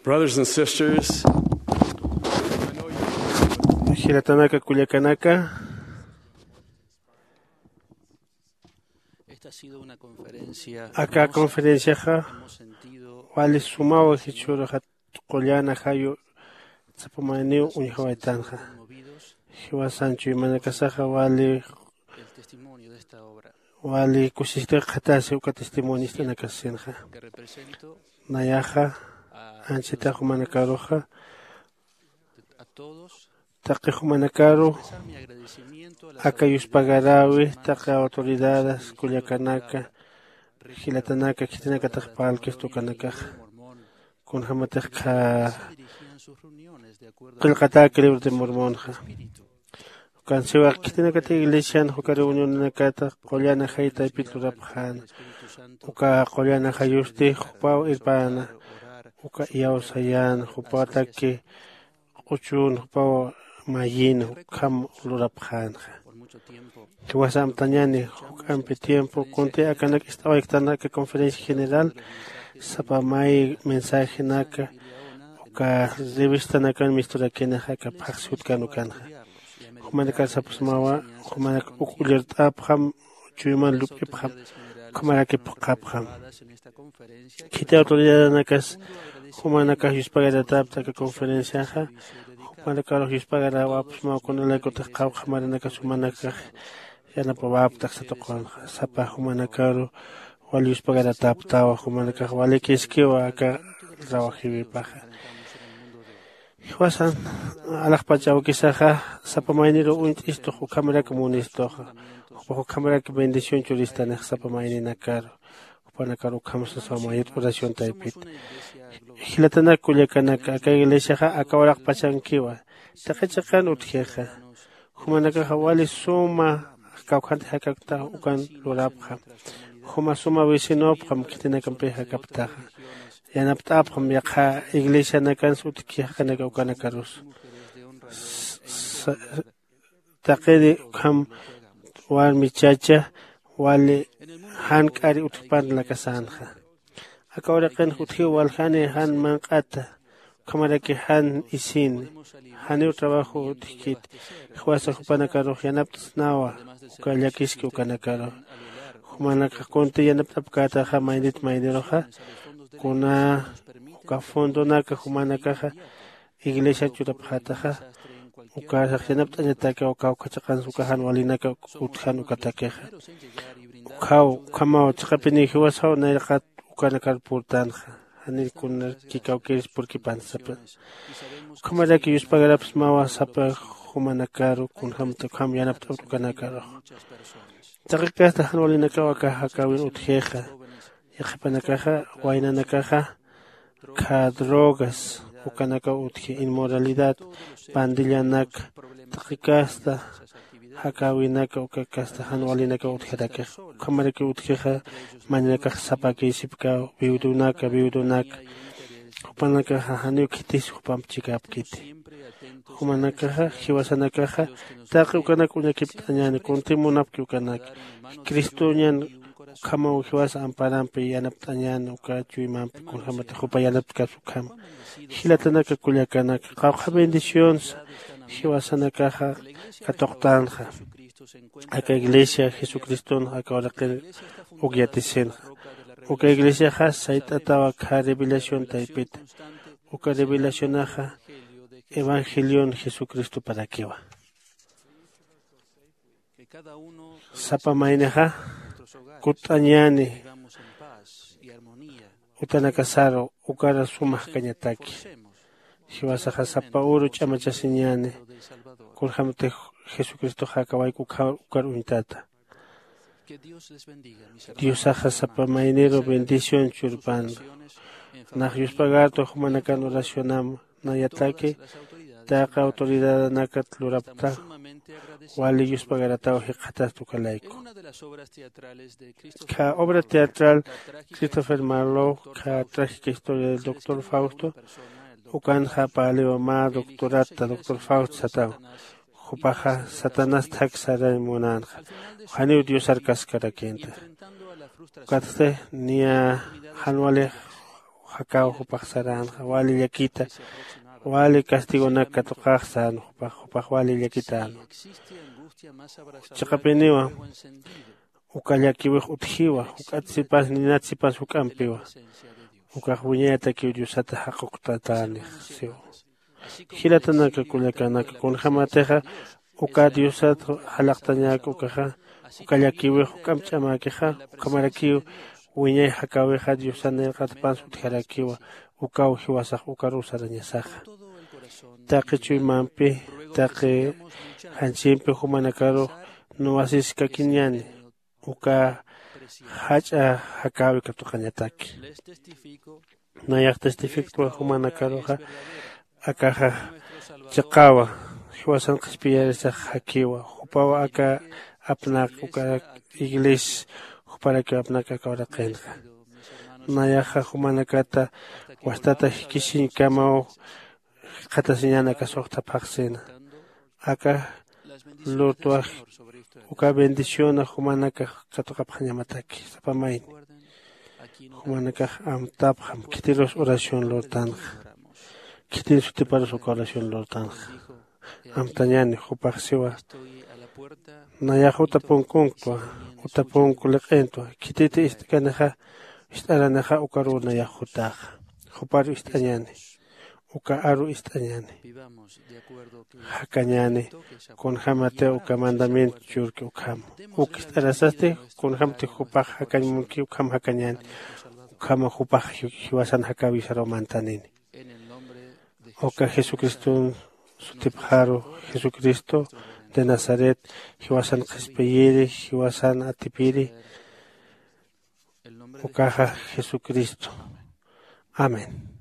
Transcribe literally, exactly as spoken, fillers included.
Brothers and sisters, jilatanaka kullakanaka, aka conferenciaxa wali sumawa jichhüruxa qullana jayu sapamayniw uñjawaytanxa. Jiwasan chuymanakasaxa wali wali kusisita qhatasi uka testimonio ist'anakassinxa. Nayaxa anchhita jumanakaruxa taqi jumanakaru aka yuspagaräwi taqi autoridadas kullakanaka jilatanaka khitinakatix parlkista ukanakaxa kunjämatix qha qillqatäki libro de mormonxa. Ukansiwa khitinakatix iglesian juka reunionanakata qullan ajay taypit lurapxäna. Uka qullan ajayusti jupaw irpäna uka iyawsayäna jupataki q'uchun jupaw mayïna ukham lurapxänxa. Jiwasa amtañäni juk'ampi tiempo kunti akanak ist'awayktan aka conferencia general sapa may mensajenaka uka revistanakan misturakïnix aka phaxsi jutkan ukanxa. Jumanakar sapxsmawa jumanak uk ullirt'apxam chuyman lup'ipxam ukhamaraki phuqhapxam. Khiti autoridadanakas jumanakax yuspagaratapta aka conferenciaxa. Jumanakarux yuspagaräwapxsmaw kunalaykutix qhawqha maranakas jumanakax yanapawapta aksa tuqunxa sapa jumanakaru wal yuspagarataptawa jumanakax walikiskiwa aka trabajiwipaxa. Jiwasan alaxpach awkisaxa sapa mayniruw uñt'istux ukhamarak munistuxa. Jupax ukhamarak bendición churistanix sapa mayninakaru jupanakaru ukham sasaw mayit oración taypit. Jilatanak kullakanak aka iglesiaxa aka uraqpachankiwa taqi chiqan utjixa. Jumanakaxa wali suma kawkhanti jakakta ukan lurapxam. Juma suma vecinopxam khitinakampi jakaptaxa yanapt'apxam yaqha iglesianakansa utjki jaqinaka ukanakarusa. Taqiri ukham warmi chacha wali jan k'ari utjpan lakasänxa. Aka uraqinx utjiw waljani jan manq'ata ukhamaraki jan isini janiw trabajo utjkiti. Jiwasa jupanakarux yanapt'snawa uka llakiski ukanakaru. Jumanakax kunti yanapt'apkätaxa maynit mayniruxa kuna uka fondonaka jumanakaxa iglesia churapxätaxa. Ukasax yanapt'añataki uka uka chiqansa uka jan walinaka utjan ukatakixa. Ukhaw ukhamaw chiqapiniw jiwasaw nayraqat ukanakar purtanxa. Janir kunar kikawkiris purkipan sapa ukhamaraki yuspagarapsmawa sapa jumanakaru kunjämta ukham yanapt'apta ukanakaruxa. Taqi kasta jan walinakaw aka jakäwin utjixa. Yaqhipanakaxa waynanakaxa kha drogas ukanakaw utji inmoralidad pandillanak taqi kasta jakäwinaka uka kasta jan walinakaw utjarakix. Ukhamarakiw utjixa maninakax sapakïsipkaw viudunaka viudunaka jupanakaxa janiw khitis jupamp chikapkiti. Jumanakaxa jiwasanakaxa taqi ukanak uñakipt'añäni kunti munapki ukanak cristoñan ukhamaw jiwasa amparampi yanapt'añäni uka chuymampi kunjämatix jupa yanapt'kapsa ukhama. Jilatanaka kullakanaka qawqha bendicionsa jiwasanakaxa katuqtänxa. Aka iglesia jesucriston aka uraqir uk yatisinxa. Uka iglesiaxa sayt'ataw akha revelación taypita. Uka revelacionaxa evangelion jesucristoparakiwa. Sapa maynixa kutt'añäni utanakasaru ukara suma jakañataki. Jiwasaxa sapa uru ch'amachasiñäni kunjämti jesucristoxa akawayku ukar uñtata. Diosaxa sapa mayniru bendición churpandu. Nax yuspagartu jumanakan oracionam nayataki taqi autoridadanakat lurapta wali yuspagarataw jikxatasta ukalayku. Kha obra teatral Christopher Marlowe kha trágica historia del doctor Fausto ukanxa paliwa mä doctorata doctor Fausto sataw. Jupaxa satanás thak saray munänxa. Janiw diosar kaskarakïnta. Ukatsti niya jan wali Jakaw jupax saränxa wali llakita, wali castigonak katuqax sän jupax jupax wali llakitänwa. Chiqapiniwa uka llakiwix utjiwa, juk'at sipas ninat sipas juk'ampiwa. Ukax wiñayatakiw diosata jaquktatänix siwa. Jilatanaka kullakanaka kunjämatixa uka diosat jalaqtañäk ukaxa, uka llakiwix juk'amp ch'amäkixa, ukhamarakiw wiñay jakäwixa diosan nayraqatpans utjarakiwa. Ukaw jiwasax ukaruw sarañasaxa. Taqi chuymampi, taqi janchimpi jumanakarux nuwasiskakiñäni uka jach'a jakäwi katuqañataki. Nayax testifiktwa jumanakaruxa akaxa chiqawa, jiwasan qhispiyarisax jakiwa jupaw aka apnaq uka iglesia juparakiw apnaq aka uraqinxa. Nayaxa jumanakata wastata jikisiñkamaw jikxatasiñan aka suxta phaxsina. Aka lurtwax uka bendiciona jumanakax katuqapxañamataki sapa mayni. Jumanakax amtapxam khitirus oración lurtanxa. Khitin sutiparus uka oración lurtanxa. Amtañani jupax siwa. Nayax utapunkuntwa, utapunku liq'intwa khititi ist'kanixa ist'aranixa ukaruw nayax jutaxa. Juparu ist'añani, uka aru ist'añani. Jakañani kunjämatiw uka mandamiento churki ukhama. Uk ist'arasasti kunjämti jupax jakañ munki ukham jakañani. Ukhama jupax jiwasan jakäwisaruw mantanini. Uka jesucriston sutipxaru, jesucristo de nazaret, jiwasan qhispiyiri, jiwasan atipiri. Ukaxa jesucristo. Amén.